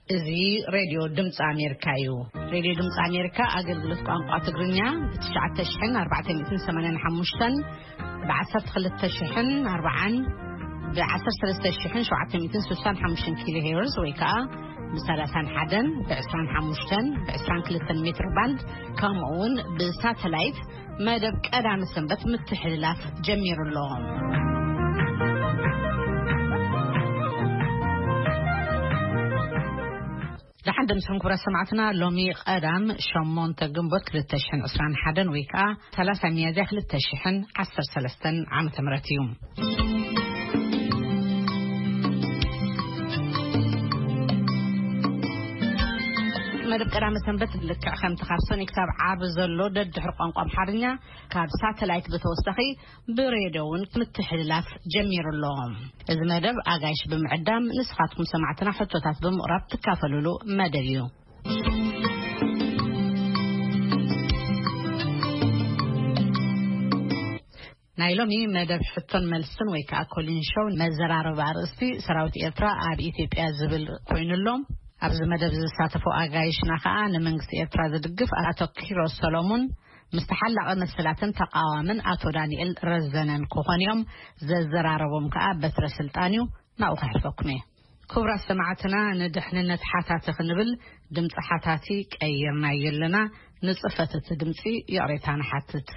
እዚ ሬድዮ ድምፂ ኣሜሪካ እዩ። ሬድዮ ድምፂ ኣሜሪካ ኣገልግሎት ቋንቋ ትግርኛ ብ ትሽዓተ ሽሕን ኣርባዕተ ሚእትን ሰማንያን ሓሙሽተን፣ ብ ዓሰርተ ክልተ ሽሕን ኣርባዓን፣ ብ ዓሰርተ ሰለስተ ሽሕን ሸውዓተ ሚእትን ስሳን ሓሙሽተን ኪሎ ሄርዝ ወይ ከዓ ብ ሰላሳን ሓደን፣ ብ ዕስራን ሓሙሽተን፣ ብ ዕስራን ክልተን ሜትር ባንድ፣ ከምኡ እውን ብሳተላይት መደብ ቀዳመ ሰንበት ምትሕልላፍ ጀሚሩ ኣሎ። ደሓን ደምስኹም ክቡራት ሰማዕትና፣ ሎሚ ቀዳም ሸሞንተ ግንቦት ክልተ ሽሕን ዕስራን ሓደን ወይ ከዓ ሰላሳ ሚያዝያ ክልተ ሽሕን ዓሰርተ ሰለስተን ዓመተ ምህረት እዩ። መደብ ቀዳመ ሰንበት ልክዕ ከምቲ ካብ ሰኒ ክሳብ ዓርቢ ዘሎ ደድሕሪ ቋንቋ ኣምሓርኛ ካብ ሳተላይት ብተወሳኺ ብሬድዮ እውን ምትሕልላፍ ጀሚሩ ኣሎ። እዚ መደብ ኣጋይሽ ብምዕዳም ንስኻትኩም ሰማዕትና ሕቶታት ብምቕራብ ትካፈሉሉ መደብ እዩ። ናይ ሎሚ መደብ ሕቶን መልስን ወይ ከዓ ኮሊን ሾው መዘራረቢ ኣርእስቲ ሰራዊት ኤርትራ ኣብ ኢትዮጵያ ዝብል ኮይኑ ኣሎ። ኣብዚ መደብ ዝሳተፉ ኣጋይሽና ከዓ ንመንግስቲ ኤርትራ ዝድግፍ ኣቶ ኪሮስ ሰሎሙን ምስ ተሓላቒ መሰላትን ተቃዋምን ኣቶ ዳንኤል ረዘነን ክኾኑ እዮም። ዘዘራረቦም ከዓ በትረ ስልጣን እዩ። ናብኡ ከሕልፈኩም እየ። ክቡራት ሰማዕትና፣ ንድሕንነት ሓታቲ ክንብል ድምፂ ሓታቲ ቀይርናዮ ኣለና። ንፅፈት እቲ ድምፂ ይቕሬታ ንሓትት።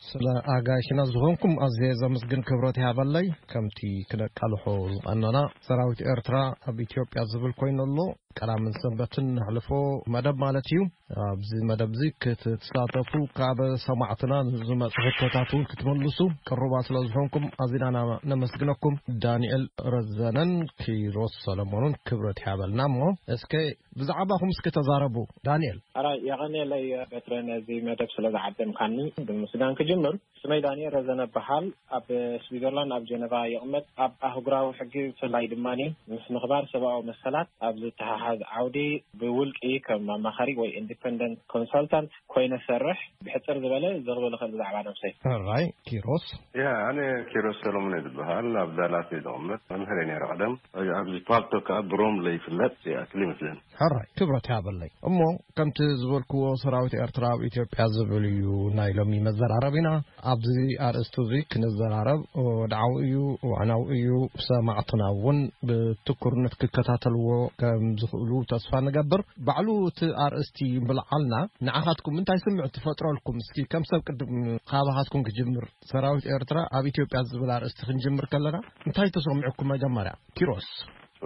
ስለ ኣጋይሽና ዝኾንኩም ኣዝየ ዘመስግን፣ ክብረት ይሃበለይ። ከምቲ ክነቃልሖ ዝቐነና ሰራዊት ኤርትራ ኣብ ኢትዮጵያ ዝብል ኮይኑ ኣሎ። ቀዳምን ሰንበትን ነሕልፎ መደብ ማለት እዩ። ኣብዚ መደብ እዚ ክትሳተፉ ካብ ሰማዕትና ንዝመጹ ሕቶታት እውን ክትምልሱ ቅሩባት ስለ ዝኾንኩም ኣዚና ኢና ነመስግነኩም። ዳንኤል ረዘነን ኪሮስ ሰለሞንን ክብረት ይሃበልና። እሞ እስከ ብዛዕባኹም እስኪ ተዛረቡ። ዳንኤል። ኣራይ፣ የቐንየለይ በትረ፣ ነዚ መደብ ስለ ዝዓደምካኒ ብምስጋን ክጅምር። ስመይ ዳንኤል ረዘነ እበሃል። ኣብ ስዊዘርላንድ ኣብ ጀነቫ ይቕመጥ። ኣብ ኣህጉራዊ ሕጊ ብፍላይ ድማ ምስ ምኽባር ሰብኣዊ መሰላት ኣብ ዝተሓሓዝ ዓውዲ ብውልቂ ከም ኣማኻሪ ወይ ኢንዲፐንደንት ኮንሳልታንት ኮይነ ሰርሕ። ብሕጽር ዝበለ ዘቕርበ ልኽእል ብዛዕባ ነብሰይ። ሕራይ ኪሮስ። ያ፣ ኣነ ኪሮስ ሰሎሞን እየ ዝበሃል። ኣብ ዳላስ እየ ዝቕመጥ። መምህር እየ ነይረ ቀደም። ኣብዚ ፓልቶ ከኣ ብሮም ለይፍለጥ ይኣክል ይመስለኒ። ሕራይ ክብረት ይሃበለይ። እሞ ከምቲ ዝበልክዎ ሰራዊት ኤርትራ ኣብ ኢትዮጵያ ዝብል እዩ ናይ ሎሚ መዘራረቢና። ኣብዚ ኣርእስቲ እዚ ክንዘራረብ ወድዓዊ እዩ፣ እዋናዊ እዩ። ሰማዕትና እውን ብትኩርነት ክከታተልዎ ከም ዝኽእሉ ተስፋ ንገብር። ባዕሉ እቲ ኣርእስቲ ምልዓልና ንዓኻትኩም እንታይ ስምዒት ትፈጥረልኩም? እስኪ ከም ሰብ ቅድም ካባኻትኩም ክጅምር። ሰራዊት ኤርትራ ኣብ ኢትዮጵያ ዝብል ኣርእስቲ ክንጅምር ከለና እንታይ ተሰሚዑኩም መጀመርያ? ኪሮስ።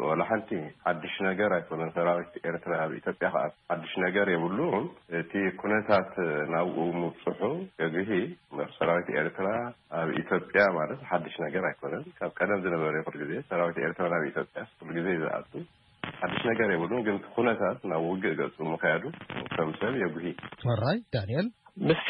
ወላ ሓንቲ ሓድሽ ነገር ኣይኮነን። ሰራዊት ኤርትራ ኣብ ኢትዮጵያ ከኣ ሓድሽ ነገር የብሉን። እቲ ኩነታት ናብኡ ምብጽሑ የግሂ እምበር፣ ሰራዊት ኤርትራ ኣብ ኢትዮጵያ ማለት ሓድሽ ነገር ኣይኮነን። ካብ ቀደም ዝነበረ ኩሉ ግዜ ሰራዊት ኤርትራ ናብ ኢትዮጵያ ኩሉ ግዜ እዩ ዝኣቱ። ሓድሽ ነገር የብሉን፣ ግን እቲ ኩነታት ናብ ውግእ ገጹ ምኽያዱ ከም ሰብ የጉሂ። ሕራይ ዳንኤል። ምስቲ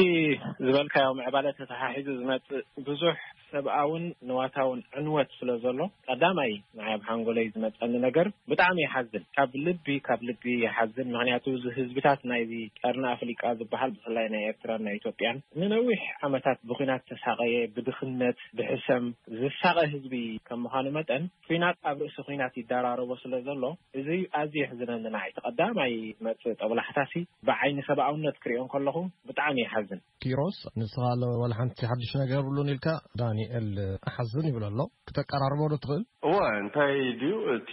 ዝበልካዮ ምዕባለ ተተሓሒዙ ዝመጽእ ብዙሕ ሰብኣውን ንዋታውን ዕንወት ስለ ዘሎ፣ ቀዳማይ ንዓይ ኣብ ሓንጎለይ ዝመጸኒ ነገር ብጣዕሚ ይሓዝን። ካብ ልቢ፣ ካብ ልቢ ይሓዝን። ምኽንያቱ እዚ ህዝብታት ናይዚ ቀርኒ ኣፍሪቃ ዝበሃል፣ ብፍላይ ናይ ኤርትራን ናይ ኢትዮጵያን፣ ንነዊሕ ዓመታት ብኲናት ተሳቐየ፣ ብድኽነት፣ ብሕሰም ዝሳቐ ህዝቢ ከም ምዃኑ መጠን፣ ኲናት ኣብ ርእሲ ኲናት ይደራረቦ ስለ ዘሎ፣ እዚ ኣዝዩ የሕዝነኒ ንዓይ። እቲ ቀዳማይ ዝመጽእ ጦብላሕታሲ ብዓይኒ ሰብኣውነት ክሪኦ እንከለኹ ብጣዕሚ ይሓዝን። ኪሮስ፣ ንስኻ ለ-፣ ዋላ ሓንቲ ሓድሽ ነገር የብሉን ኢልካ፣ ዳንኤል ኣሓዝን ይብል ኣሎ። ክተቀራርቦ ዶ ትኽእል? እወ፣ እንታይ ድዩ፣ እቲ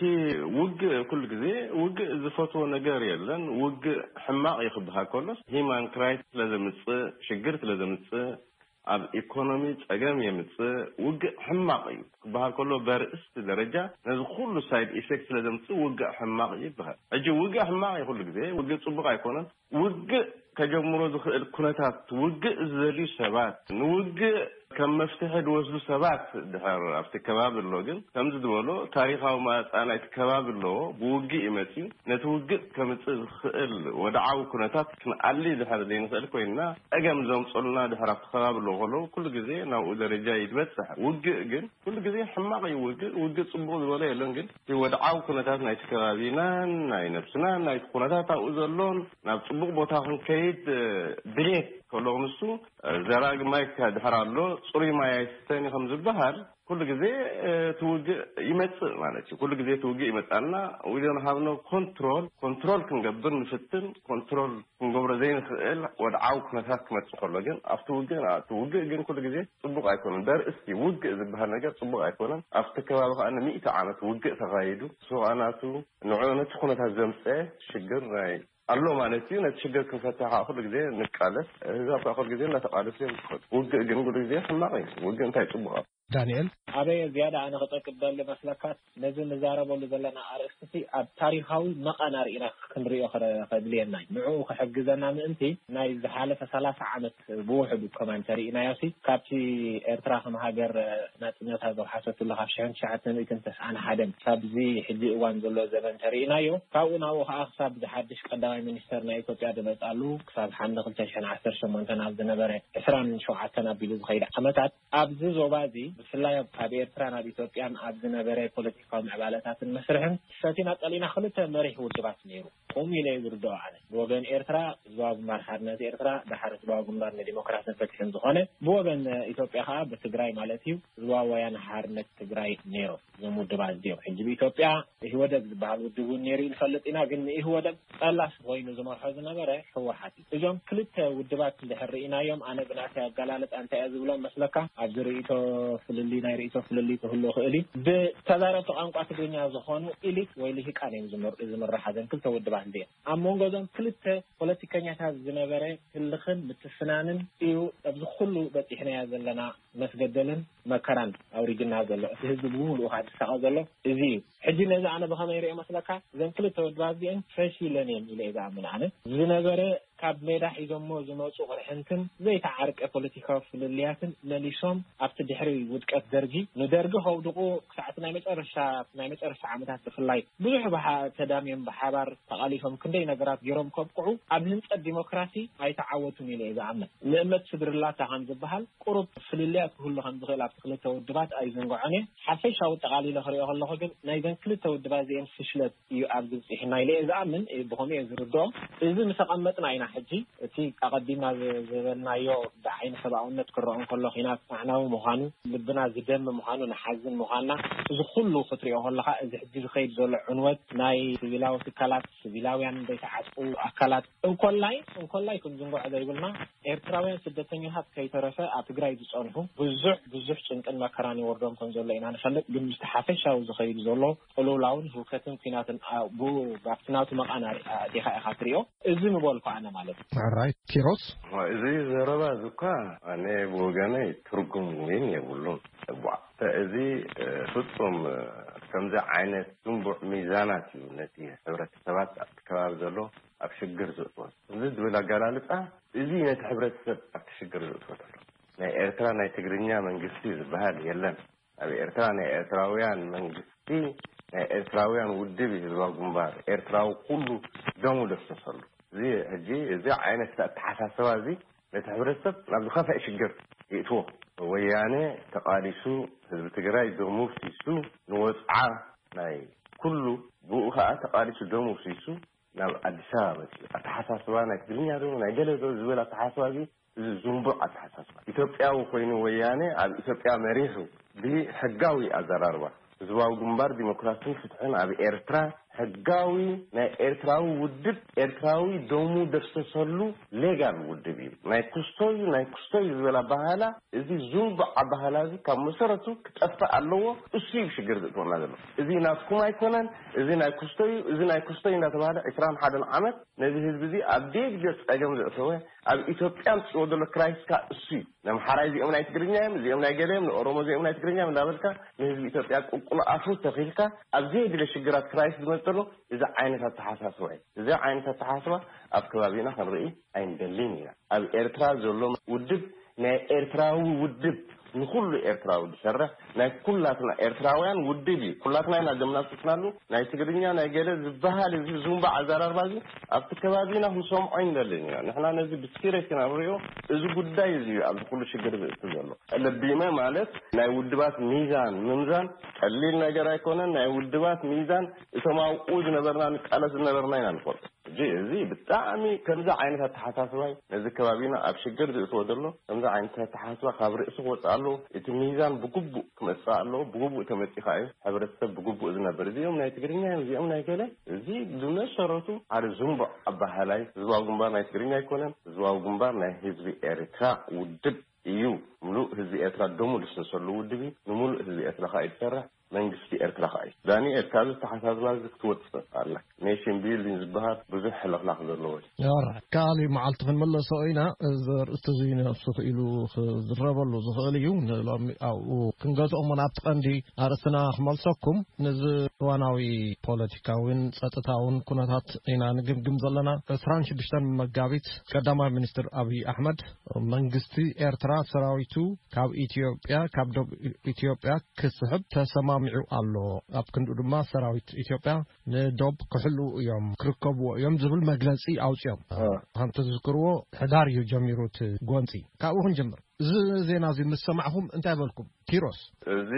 ውግእ፣ ኩሉ ግዜ ውግእ ዝፈትዎ ነገር የለን። ውግእ ሕማቕ እዩ ክበሃል ከሎስ፣ ሂማን ክራይስ ስለ ዘምጽእ፣ ሽግር ስለ ዘምጽእ፣ ኣብ ኢኮኖሚ ጸገም የምጽእ። ውግእ ሕማቕ እዩ ክበሃል ከሎ፣ በርእስቲ ደረጃ ነዚ ኩሉ ሳይድ ኢፌክት ስለ ዘምጽእ ውግእ ሕማቕ እዩ ይበሃል። ሕጂ ውግእ ሕማቕ እዩ ኩሉ ግዜ፣ ውግእ ጽቡቕ ኣይኮነን። ውግእ ከጀምሮ ዝኽእል ኩነታት፣ ውግእ ዝደልዩ ሰባት፣ ንውግእ ከም መፍትሒ ዝወስዱ ሰባት ድሕር ኣብቲ ከባቢ ኣሎ። ግን ከምዚ ዝበሎ ታሪኻዊ ማጻ ናይቲ ከባቢ ኣለዎ። ብውግእ እዩ መጺኡ። ነቲ ውግእ ከምጽእ ዝኽእል ወድዓዊ ኩነታት ክንኣሊ ድሕር ዘይንኽእል ኮይንና፣ ጸገም ዘምጽኡልና ድሕር ኣብቲ ከባቢ ኣለዉ ከለዉ፣ ኩሉ ግዜ ናብኡ ደረጃ እዩ ዝበጽሕ። ውግእ ግን ኩሉ ግዜ ሕማቕ እዩ። ውግእ፣ ውግእ ጽቡቕ ዝበሎ የለን። ግን እቲ ወድዓዊ ኩነታት ናይቲ ከባቢናን ናይ ነብስናን ናይቲ ኩነታት ኣብኡ ዘሎን ናብ ጽቡቕ ቦታ ክንከይድ፣ እ፣ ድሌት ከሎ ንሱ፣ እ፣ ዘራጊ ማይ ከ ድሕር ኣሎ፣ ጽሩይ ማይ ኣይስተን እዩ ከም ዝበሃል፣ ኩሉ ግዜ እቲ ውግእ ይመጽእ ማለት እዩ። ኩሉ ግዜ እቲ ውግእ ይመጽኣልና። We don't have no control። ኮንትሮል ክንገብር ንፍትን፣ ኮንትሮል ክንገብሮ ዘይንኽእል ወድዓዊ ኩነታት ክመጽእ ከሎ ግን ኣብቲ ውግእ፣ እቲ ውግእ ግን ኩሉ ግዜ ጽቡቕ ኣይኮነን። ደርእስቲ ውግእ ዝበሃል ነገር ጽቡቕ ኣይኮነን። ኣብቲ ከባቢ ከኣ ንሚእቲ ዓመት ውግእ ተኻይዱ፣ ንሱ ከኣ ናቱ ንዑ ነቲ ኩነታት ዘምጸ ሽግር ናይ ኣሎ ማለት እዩ። ነቲ ሽግር ክንፈትሕ ከዓ ኩሉ ግዜ ንቃለስ። ህዝብ ከዓ ኩሉ ግዜ እንዳተቃለሱ እዮም ዝኸዱ። ውግእ ግን ኩሉ ግዜ ሕማቕ እዩ። ውግእ እንታይ ጽቡቕ ኣሎ? ዳንኤል። ኣበየ ዝያዳ ኣነ ክጠቅስ ደሊ መስለካ፣ ነዚ ንዛረበሉ ዘለና ኣርእስቲ ኣብ ታሪኻዊ መቐን ኣርኢና ክንሪኦ ክረ-፣ ከድልየና እዩ። ንዕኡ ክሕግዘና ምእንቲ ናይ ዝሓለፈ ሰላሳ ዓመት ብውሕዱ ከማን ተርኢናዮ ሲ፣ ካብቲ ኤርትራ ከም ሃገር ናጽነታ ዘውሓሰትሉ ካብ ሽሕን ትሽዓተ ሚእትን ተስዓን ሓደን ካብዚ ሕጂ እዋን ዘሎ ዘበን ተርኢናዮ። ካብኡ ናብኡ ከኣ ክሳብ ዝሓድሽ ቀዳማይ ሚኒስተር ናይ ኢትዮጵያ ዝመጻሉ ክሳብ ሓምለ ክልተ ሽሕን ዓሰርተ ሸሞንተን ኣብ ዝነበረ ዕስራን ሸውዓተን ኣቢሉ ዝኸይድ ዓመታት ኣብዚ ዞባ እዚ ብፍላይ ኣብ፣ ካብ ኤርትራ ናብ ኢትዮጵያን ኣብ ዝነበረ ፖለቲካዊ ምዕባለታትን መስርሕን ሰቲና ጠሊና ክልተ መሪሕ ውድባት ነይሩ። ቁም ኢለ እየ ዝርድኦ ኣነ። ብወገን ኤርትራ ህዝባዊ ግንባር ሓርነት ኤርትራ፣ ድሓር ህዝባዊ ግንባር ንዲሞክራስን ፍትሕን ዝኾነ፣ ብወገን ኢትዮጵያ ከኣ ብትግራይ ማለት እዩ ህዝባዊ ወያነ ሓርነት ትግራይ ነይሮም። እዞም ውድባት እዚኦም ሕጂ ብኢትዮጵያ ኢህወደግ ዝበሃል ውድብ እውን ነይሩ ንፈልጥ ኢና፣ ግን ንኢህወደግ ጠላስ ኮይኑ ዝመርሖ ዝነበረ ህወሓት እዩ። እዞም ክልተ ውድባት እንድሕር ርኢናዮም፣ ኣነ ብናተይ ኣገላልፃ እንታይ እየ ዝብሎም መስለካ? ኣብዚ ርእይቶ ፍልሊ፣ ናይ ርእይቶ ፍልሊ ክህሉ ይኽእል እዩ። ብተዛረብቲ ቋንቋ ትግርኛ ዝኾኑ ኢሊት ወይ ልሂቃን እዮም ዝምር-፣ ዝምርሓ እዘን ክልተ ውድባት እዚአን። ኣብ መንጎ እዞም ክልተ ፖለቲከኛታት ዝነበረ ህልኽን ምትፍናንን እዩ ኣብዚ ኩሉ በፂሕናዮ ዘለና መስገደልን መከራን ኣውሪድና ዘሎ። እቲ ህዝቢ ብምሉኡ ከዓ ዝሳቐ ዘሎ እዚ እዩ። ሕጂ ነዚ ኣነ ብኸመይ ርእዮ መስለካ? እዘን ክልተ ውድባት እዚአን ፈሺለን እየን ኢለ እየ ዝኣምን ኣነ። ዝነበረ ካብ ሜዳ ሒዞሞ ዝመፁ ቅርሕንትን ዘይተዓርቀ ፖለቲካዊ ፍልልያትን መሊሶም ኣብቲ ድሕሪ ውድቀት ደርጊ፣ ንደርጊ ከውድቑ ክሳዕ እቲ ናይ መጨረሻ፣ ናይ መጨረሻ ዓመታት ብፍላይ ብዙሕ ብሓ-፣ ተዳምዮም ብሓባር ተቓሊሶም ክንደይ ነገራት ገይሮም ከብቅዑ ኣብ ህንፀት ዲሞክራሲ ኣይተዓወቱን ኢለ እየ ዝኣምን። ንእመት ስድርላታ ከም ዝበሃል ቁሩብ ፍልልያት ክህሉ ከም ዝኽእል ኣብቲ ክልተ ውድባት ኣይዝንግዖን እየ። ሓፈሻዊ ጠቓሊለ ክሪኦ ከለኹ ግን ናይዘን ክልተ ውድባት እዚአን ፍሽለት እዩ ኣብዚ ብፂሑና ኢለ እየ ዝኣምን፣ እ፣ ብኸምኡ እየ ዝርድኦ። እዚ ምስ ኣቐመጥና ኢና ሕጂ እቲ ኣቐዲምና ዝ-፣ ዝበልናዮ ብዓይኒ ሰብኣውነት ክረኦ እንከሎ ኲናት ኣዕናዊ ምዃኑ፣ ልብና ዝደሚ ምዃኑ፣ ንሓዝን ምዃንና፣ እዚ ኩሉ ክትሪኦ ከለኻ እዚ ሕጂ ዝኸይድ ዘሎ ዕንወት ናይ ሲቪላዊ ትካላት፣ ሲቪላውያን ዘይተዓጥቁ ኣካላት እንኮላይ፣ እንኮላይ ክንዝንግዖ ዘይብልና ኤርትራውያን ስደተኛታት ከይተረፈ ኣብ ትግራይ ዝጸንሑ ብዙሕ፣ ብዙሕ ጭንቅን መከራን ይወርዶም ከም ዘሎ ኢና ንፈልጥ። ግን ምስቲ ሓፈሻዊ ዝኸይድ ዘሎ ቅልውላውን ህውከትን ኲናትን ኣ-፣ ብኡ ኣብቲ ናቱ መቓን ኣሪ-፣ ኣዴኻ ኢኻ ትሪኦ። እዚ ምበልኩ ኣነ ማለት እዩ። ሕራይ ኪሮስ። እዚ ዘረባ እዚ እኳ ኣነ ብወገነይ ትርጉም እውን የብሉን። እቧ፣ እዚ፣ እ፣ ፍጹም፣ እ፣ ከምዚ ዓይነት ዝንቡዕ ሚዛናት እዩ ነቲ ሕብረተሰባት ኣብቲ ከባቢ ዘሎ ኣብ ሽግር ዘእትዎ። እዚ ዝብል ኣገላልጻ እዚ ነቲ ሕብረተሰብ ኣብቲ ሽግር ዘእትዎ ዘሎ። ናይ ኤርትራ ናይ ትግርኛ መንግስቲ ዝበሃል የለን። ኣብ ኤርትራ ናይ ኤርትራውያን መንግስቲ፣ ናይ ኤርትራውያን ውድብ እዩ ህዝባዊ ግንባር። ኤርትራዊ ኩሉ ደሙ ዘፍሰሰሉ። እዚ ሕጂ፣ እዚ ዓይነት ኣተሓሳስባ እዚ ነቲ ሕብረተሰብ ናብ ዝኸፍአ ሽግር ይእትዎ። ወያነ ተቓሊሱ፣ ህዝቢ ትግራይ ደሙ ፍሲሱ፣ ንወጽዓ ናይ ኩሉ ብኡ ኸኣ ተቓሊሱ ደሙ ፍሲሱ ናብ ኣዲስ ኣበባ መጺኡ። ኣተሓሳስባ ናይ ትግርኛ ዶ ናይ ገለ ዶ ዝብል ኣተሓሳስባ እዚ፣ እዚ ዝንቡዕ ኣተሓሳስባ። ኢትዮጵያዊ ኮይኑ ወያነ ኣብ ኢትዮጵያ መሪሑ ብሕጋዊ ኣዘራርባ ህዝባዊ ግንባር ዲሞክራስን ፍትሕን ኣብ ኤርትራ ሕጋዊ ናይ ኤርትራዊ ውድብ፣ ኤርትራዊ ደሙ ደፍሰሰሉ ሌጋል ውድብ እዩ። ናይ ኩስቶዩ፣ ናይ ኩስቶዩ ዝበል ኣበሃህላ፣ እዚ ዝንቡዕ ኣበሃህላ እዚ ካብ መሰረቱ ክጠፍእ ኣለዎ። እሱ እዩ ሽግር ዘእትወና ዘሎ። እዚ ናትኩም ኣይኮነን፣ እዚ ናይ ኩስቶዩ፣ እዚ ናይ ኩስቶዩ እንዳተባሃለ ዕስራን ሓደን ዓመት ነዚ ህዝቢ እዚ ኣብ ዴግ ጸገም ዘእተወ፣ ኣብ ኢትዮጵያ ኣምጽእዎ ዘሎ ክራይስካ እሱ እዩ። ነምሓራይ እዚኦም ናይ ትግርኛ እዮም፣ እዚኦም ናይ ገለ እዮም፣ ንኦሮሞ እዚኦም ናይ ትግርኛ እዮም እንዳበልካ ንህዝቢ ኢትዮጵያ ቁልቁል ኣፉ ተኺልካ ኣብ ዘየድለ ሽግራት ክራይስ ዝመጽእ ዘሎ እዚ ዓይነት ኣተሓሳስባ እዩ። እዚ ዓይነት ኣተሓሳስባ ኣብ ከባቢና ክንርኢ ኣይንደልን ኢና። ኣብ ኤርትራ ዘሎ ውድብ ናይ ኤርትራዊ ውድብ፣ ንኹሉ ኤርትራዊ ዝሰርሕ፣ ናይ ኩላትና ኤርትራውያን ውድብ እዩ። ኩላትና ኢና ደምና ፍስስናሉ። ናይ ትግርኛ ናይ ገለ ዝበሃል እዚ ዝንባዕ ኣዘራርባ እዚ ኣብቲ ከባቢና ክንሰምዖ ኣይንደልን ኢና። ንሕና ነዚ ብሲሪየስ ኢና ንሪኦ። እዚ ጉዳይ እዚ እዩ ኣብዚ ኩሉ ሽግር ዘእቱ ዘሎ። ለቢመ ማለት ናይ ውድባት ሚዛን ምምዛን ቀሊል ነገር ኣይኮነን። ናይ ውድባት ሚዛን እቶም ኣብኡ ዝነበርና ንቃለስ ዝነበርና ኢና ንፈልጦ። እዚ ብጣዕሚ ከምዚ ዓይነት ኣተሓሳስባይ ነዚ ከባቢና ኣብ ሽግር ዝእትዎ ዘሎ ከምዚ ዓይነት ኣተሓሳስባ ካብ ርእሲ ክወፅእ ኣለዎ። እቲ ሚዛን ብግቡእ ክመፅእ ኣለዎ። ብግቡእ ተመፂኻ እዩ ሕብረተሰብ ብግቡእ ዝነብር። እዚኦም ናይ ትግርኛ እዮም፣ እዚኦም ናይ ገለ፣ እዚ ብመሰረቱ ሓደ ዝንቡዕ ኣባሃላይ። ህዝባዊ ግንባር ናይ ትግርኛ ኣይኮነን። ህዝባዊ ግንባር ናይ ህዝቢ ኤርትራ ውድብ እዩ። ምሉእ ህዝቢ ኤርትራ ደሙ ልስንሰሉ ውድብ እዩ። ንምሉእ ህዝቢ ኤርትራ ከዓ እዩ ዝሰርሕ። መንግስቲ ኤርትራ ከዓ እዩ። ዳንኤል፣ ካብዚ ተሓሳስባ እዚ ክትወፅእ ኣላ። ኔሽን ቢልዲንግ ዝበሃል ብዙሕ ሕልኽላኽ ዘለዎ እዩ። ኦራይት፣ ካልእ መዓልቲ ክንመለሶ ኢና። እዚ ኣርእስቲ እዚ ነብሱ ክኢሉ ክዝረበሉ ዝኽእል እዩ። ንሎሚ ኣብኡ ክንገትኦ እሞ፣ ናብቲ ቀንዲ ኣርእስትና ክመልሰኩም። ነዚ እዋናዊ ፖለቲካዊን ጸጥታውን ኩነታት ኢና ንግምግም ዘለና። ዕስራን ሽዱሽተን መጋቢት፣ ቀዳማይ ሚኒስትር ኣብይ ኣሕመድ፣ መንግስቲ ኤርትራ ሰራዊቱ ካብ ኢትዮጵያ፣ ካብ ዶብ ኢትዮጵያ ክስሕብ ተሰማሚዑ ኣሎ። ኣብ ክንዱ ድማ ሰራዊት ኢትዮጵያ ንዶብ ክሕልዉ እዮም፣ ክርከብዎ እዮም ዝብል መግለጺ ኣውጺኦም። እ። ከም ትዝክርዎ፣ ሕዳር እዩ ጀሚሩ እቲ ጎንጺ። ካብኡ ክንጅምር። እዚ ዜና እዚ ምስ ሰማዕኹም እንታይ በልኩም? ኪሮስ። እዚ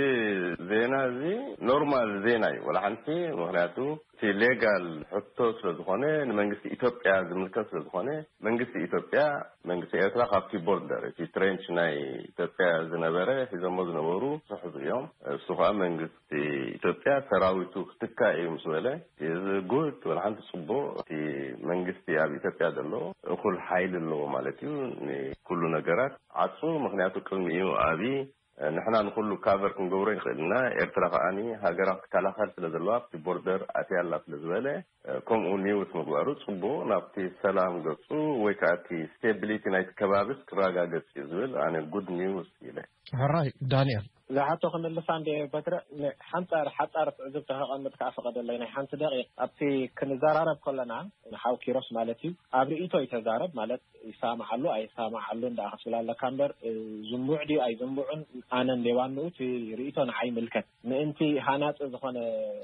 ዜና እዚ ኖርማል ዜና እዩ፣ ወላ ሓንቲ። ምኽንያቱ እቲ ሌጋል ሕቶ ስለ ዝኾነ፣ ንመንግስቲ ኢትዮጵያ ዝምልከት ስለ ዝኾነ፣ መንግስቲ ኢትዮጵያ፣ መንግስቲ ኤርትራ ካብቲ ቦርደር፣ እቲ ትሬንች ናይ ኢትዮጵያ ዝነበረ፣ ሒዞሞ ዝነበሩ ስሑዝ እዮም። እሱ ከዓ መንግስቲ ኢትዮጵያ ሰራዊቱ ክትካእ እዩ ምስ በለ፣ እዚ ጉድ፣ ወላ ሓንቲ ጽቡቕ። እቲ መንግስቲ ኣብ ኢትዮጵያ ዘሎ እኹል ሓይሊ ኣለዎ ማለት እዩ። ንኩሉ ነገራት ዓጹ፣ ምኽንያቱ ቅድሚኡ ኣብይ፣ ንሕና ንኹሉ ካቨር ክንገብሮ ይኽእል ኢና። ኤርትራ ከዓኒ ሃገራ ክትከላኸል ስለ ዘለዋ ኣብቲ ቦርደር ኣትያ ኣላ ስለ ዝበለ፣ ከምኡ ኒውስ ምግባሩ ጽቡቕ፣ ናብቲ ሰላም ገጹ ወይ ከዓ እቲ ስቴቢሊቲ ናይቲ ከባቢስ ክረጋገጽ እዩ ዝብል ኣነ ጉድ ኒውስ ኢለ። ሕራይ ዳንኤል። ዝሓቶ ክምልሳ እንደ በትረ፣ ሓንጻር ሓጻር ትዕዝብቲ ከቐምጥ ከዓ ፈቐደለይ። ናይ ሓንቲ ደቂቕ፣ ኣብቲ ክንዘራረብ ከለና ንሓው ኪሮስ ማለት እዩ፣ ኣብ ርእይቶ ይተዛረብ ማለት ይሰማማዓሉ ኣይሰማማዓሉ እንዳ ክትብል ኣለካ እምበር፣ እ፣ ዝንቡዕ ድዩ ኣይዝንቡዕን ኣነ እንደ ዋንኡ እቲ ርእይቶ ንዓይ ይምልከት። ምእንቲ ሃናጺ ዝኾነ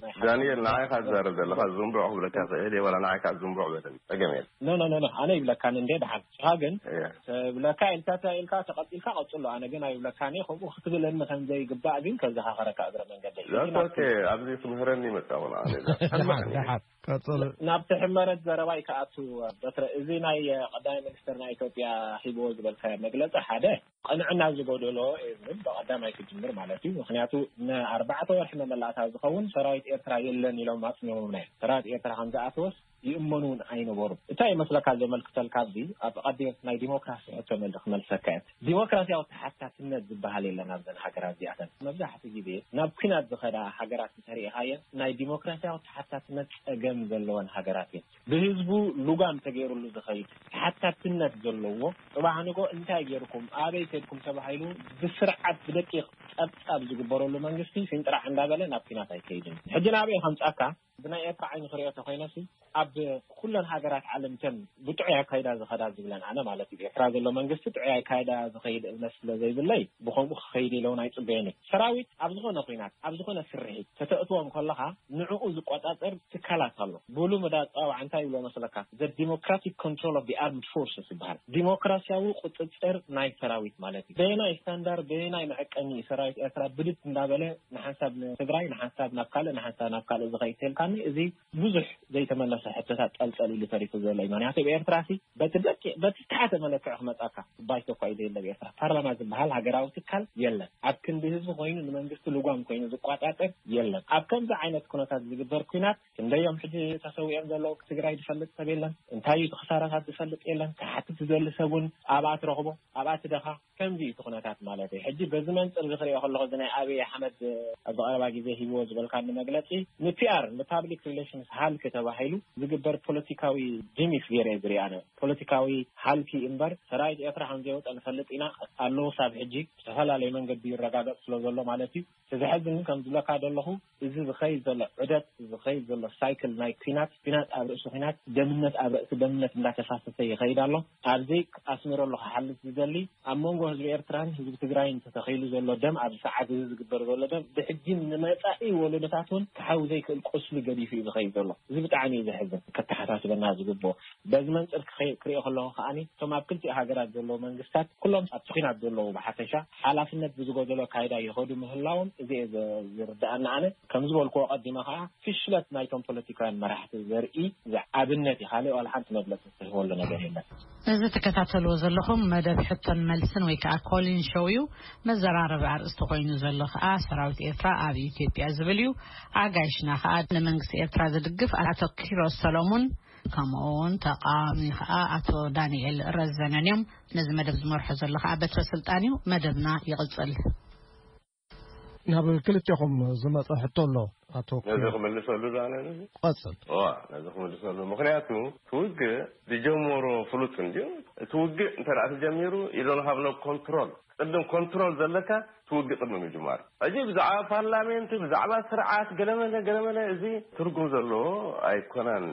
ናይ ሓሳብ ዳንኤል፣ ንዓይ ኢኻ ትዛረብ ዘለኻ፣ ዝንቡዕ ክብለካ ይኽእል እየ፣ ዋላ ንዓይ ከዓ ዝንቡዕ በለኒ፣ ጸገም የለን። ኖ፣ ኖ፣ ኖ፣ ኖ፣ ኣነ ይብለካን እንደ ደሓን። ንስኻ ግን እየ። ትብለካ ኢልካ፣ ኢልካ ተቐጺልካ ቀጽሎ። ኣነ ግን ኣይብለካን እየ። ከምኡ ክትብለኒ ከም ዘይግባእ ግን ከዘኻኸረካ እግረ መንገደይ። That's okay። ኣብዚ ክምህረኒ መጻኹ ንዓኒ። ደሓን፣ ደሓን። ቀጽሎ። ናብቲ ሕመረት ዘረባይ ክኣቱ፣ በትረ፣ እዚ ናይ ቀዳማይ ሚኒስትር ናይ ኢትዮጵያ ሂብዎ ዝበልካዮ መግለጺ ሓደ ቅንዕና ዝጎደሎ እዩ ዝብል ብቐዳማይ ክጅምር ማለት እዩ። ምኽንያቱ ንኣርባዕተ ወርሒ መመላእታ ዝኸውን ሰራዊት ኤርትራ የለን ኢሎም ኣጽኒዖም እዮም። ሰራዊት ኤርትራ ከም ዝኣተወስ ይእመኑ እውን ኣይነበሩን። እንታይ ይመስለካ ዘመልክተልካ፣ ኣብዚ ኣብ ቀዲም ናይ ዲሞክራሲ ሕቶ መል-፣ ክመልሰካ እየ። ዲሞክራሲያዊ ተሓታትነት ዝበሃል የለን ኣብዘን ሃገራት እዚኣተን። መብዛሕትኡ ግዜ ናብ ኲናት ዝኸዳ ሃገራት እንተሪኢኻየን ናይ ዲሞክራሲያዊ ተሓታትነት ጸገም ዘለወን ሃገራት እየን። ብህዝቡ ልጓም ተገይሩሉ ዝኸይድ ተሓታትነት ዘለዎ፣ ጽባሕ ንጎ እንታይ ገይርኩም፣ ኣበይ ከድኩም ተባሂሉ ብስርዓት ብደቂቕ ጸብጻብ ዝግበረሉ መንግስቲ ሲንጥራዕ እንዳበለ ናብ ኲናት ኣይከይድን። ሕጂ ናበይ ከምጻካ? ብናይ ኤርትራ ዓይኒ ክሪኦ ተኮይነሲ፣ ኣብ ኩለን ሃገራት ዓለም እተን ብጥዑይ ኣካይዳ ዝኸዳ ዝብለን ኣነ ማለት እዩ። ኤርትራ ዘሎ መንግስቲ ጥዑይ ኣካይዳ ዝኸይድ እምነት ስለ ዘይብለይ፣ ብኸምኡ ክኸይድ ኢለ እውን ኣይጽበየን እየ። ሰራዊት ኣብ ዝኾነ ኲናት፣ ኣብ ዝኾነ ስርሒት ከተእትዎም ከለኻ፣ ንዕኡ ዝቆጻጸር ትካላት ኣሎ። ብሉምድ ኣጸዋውዓ እንታይ ይብሎ መስለካ? The democratic control of the armed forces ይበሃል። ዲሞክራሲያዊ ቁጽጽር ናይ ሰራዊት ማለት እዩ። በየናይ ስታንዳርድ፣ በየናይ መዐቀኒ እዩ ሰራዊት ኤርትራ ብድድ እንዳበለ ንሓንሳብ ንትግራይ፣ ንሓንሳብ ናብ ካልእ፣ ንሓንሳብ ናብ ካልእ ዝኸይድ ተልካኒ፣ እዚ ብዙሕ ዘይተመለሰ ሕቶታት ጠልጠል ኢሉ ተሪፉ ዘሎ እዩ። ምክንያቱ ኣብ ኤርትራ ሲ በቲ ደቂ-፣ በቲ ዝተሓተ መለክዒ ክመጻካ ባይቶ እኳ እዩ ዘየለ ኣብ ኤርትራ። ፓርላማ ዝበሃል ሃገራዊ ትካል የለን። ኣብ ክንዲ ህዝቢ ኮይኑ ንመንግስቲ ልጓም ኮይኑ ዝቋጻጸር የለን። ኣብ ከምዚ ዓይነት ኩነታት ዝግበር ኲናት ክንደዮም ሕጂ ተሰዊኦም ዘለዉ ትግራይ ዝፈልጥ ሰብ የለን። እንታይ እዩ እቲ ክሳራታት ዝፈልጥ የለን። ክሓትት ዝደሊ ሰብ እውን ኣብኣ ትረኽቦ፣ ኣብኣ ትደኻ። ከምዚ እዩ እቲ ኩነታት ማለት እዩ። ሕጂ በዚ መንጽር እዚ ክሪኦ ከለኹ፣ እዚ ናይ ኣብይ ኣሕመድ ኣብዚ ቀረባ ግዜ ሂብዎ ዝበልካኒ መግለጺ ንፒኣር፣ ንፓብሊክ ሪሌሽንስ ሃልኪ ተባሂሉ ዝግበር ፖለቲካዊ ጂሚክ ገይረ እየ ዝሪኦ ኣነ። ፖለቲካዊ ሃልኪ እምበር ሰራዊት ኤርትራ ከም ዘይወጸ ንፈልጥ ኢና ኣሎ። ሳብ ሕጂ ብዝተፈላለየ መንገዲ ይረጋገጽ ስለ ዘሎ ማለት እዩ። እቲ ዘሕዝን ግን ከም ዝብለካ ዘለኹ፣ እዚ ዝኸይድ ዘሎ ዑደት፣ እዚ ዝኸይድ ዘሎ ሳይክል ናይ ኲናት፣ ኲናት ኣብ ርእሲ ኲናት፣ ደምነት ኣብ ርእሲ ደምነት እንዳተፋሰሰ ይኸይድ ኣሎ። ኣብዚ ኣስሚረሉ ክሓልፍ ዝደሊ፣ ኣብ መንጎ ህዝቢ ኤርትራን ህዝቢ ትግራይን ተተኺሉ ዘሎ ደም፣ ኣብዚ ሰዓት እዚ ዝግበር ዘሎ ደም፣ ብሕጂ ንመጻኢ ወለዶታት እውን ክሓዊ ዘይክእል ቁስሊ ገዲፉ እዩ ዝኸይድ ዘሎ። እዚ ብጣዕሚ እዩ ዘሕዝን፣ ከተሓሳስበና ዝግብኦ። በዚ መንፅር ክኸ- ክሪኦ ከለኹ ከዓኒ እቶም ኣብ ክልቲኡ ሃገራት ዘለዉ መንግስታት ኩሎም ኣብቲ ኲናት ዘለዉ ብሓፈሻ ሓላፍነት ብዝጎደሎ ኣካይዳ ይኸዱ ምህላዎም እዚ እየ ዘ- ዝርድኣኒ ኣነ። ከም ዝበልክዎ ቀዲመ ከዓ ፍሽለት ናይቶም ፖለቲካውያን መራሕቲ ዘርኢ ዝዓብነት እዩ። ካልእ ዋላ ሓንቲ መግለፂ ዝህበሉ ነገር የለን። እዚ ትከታተልዎ ዘለኹም መደብ ሕቶን መልስን ወይ ከዓ ኮሊን ሾው እዩ። መዘራረቢ ኣርእስቲ ኮይኑ ዘሎ ከዓ ሰራዊት ኤርትራ ኣብ ኢትዮጵያ ዝብል እዩ። ኣጋይሽና ከዓ ንመንግስቲ ኤርትራ ዝድግፍ ኣቶ ኪሮስ ሰሎሙን ከምኡ እውን ተቃዋሚ ከዓ ኣቶ ዳንኤል ረዘነን እዮም። ነዚ መደብ ዝመርሖ ዘሎ ከዓ በትረ ስልጣን እዩ። መደብና ይቕጽል። ናብ ክልቴኹም ዝመጸ ሕቶ ኣሎ ኣቶ ነዚ ኪሮስ። ክምልሰሉ ዶ ኣነ ነዚ? ቀጽል። እዋ፣ ነዚ ክምልሰሉ። ምኽንያቱ እቲ ውግእ ዝጀመሮ ፍሉጥ እንድዩ። እቲ ውግእ እንተ ደኣ ተጀሚሩ፣ you don't have no control። ቅድም ኮንትሮል ዘለካ እቲ ውግእ ቅድሚ ምጅማሩ። ሕጂ ብዛዕባ ፓርላሜንት፣ ብዛዕባ ስርዓት፣ ገለመለ፣ ገለመለ፣ እዚ ትርጉም ዘለዎ ኣይኮነን።